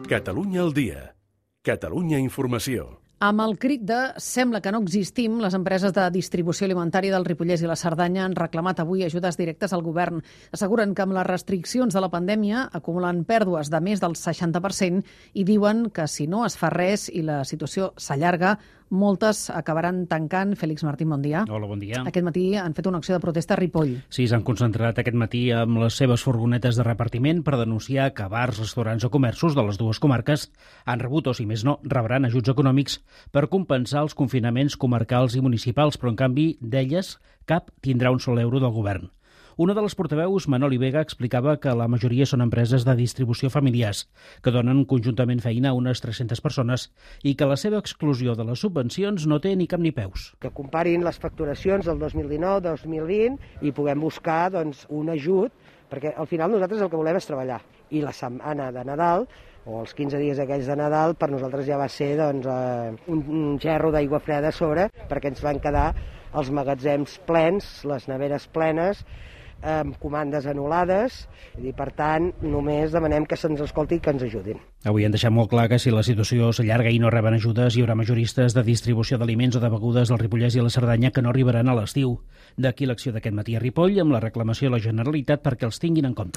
Catalunya al dia. Catalunya Informació. Amb el crit de «sembla que no existim», les empreses de distribució alimentària del Ripollès i la Cerdanya han reclamat avui ajudes directes al govern. Asseguren que amb les restriccions de la pandèmia acumulen pèrdues de més del 60% i diuen que si no es fa res i la situació s'allarga, moltes acabaran tancant. Fèlix Martín, bon dia. Hola, bon dia. Aquest matí han fet una acció de protesta a Ripoll. Sí, s'han concentrat aquest matí amb les seves furgonetes de repartiment per denunciar que bars, restaurants o comerços de les dues comarques han rebut, o si més no, rebran ajuts econòmics per compensar els confinaments comarcals i municipals, però en canvi d'elles cap tindrà un sol euro del govern. Una de les portaveus, Manoli Vega, explicava que la majoria són empreses de distribució familiars, que donen conjuntament feina a unes 300 persones i que la seva exclusió de les subvencions no té ni cap ni peus. Que comparin les facturacions del 2019-2020 i puguem buscar un ajut, perquè al final nosaltres el que volem és treballar. I la setmana de Nadal, o els 15 dies aquells de Nadal, per nosaltres ja va ser un gerro d'aigua freda a sobre, perquè ens van quedar els magatzems plens, les neveres plenes, amb comandes anul·lades, i per tant només demanem que se'ns escolti i que ens ajudin. Avui han deixat molt clar que si la situació s'allarga i no reben ajudes, hi haurà majoristes de distribució d'aliments o de begudes del Ripollès i la Cerdanya que no arribaran a l'estiu. D'aquí l'acció d'aquest matí a Ripoll amb la reclamació a la Generalitat perquè els tinguin en compte.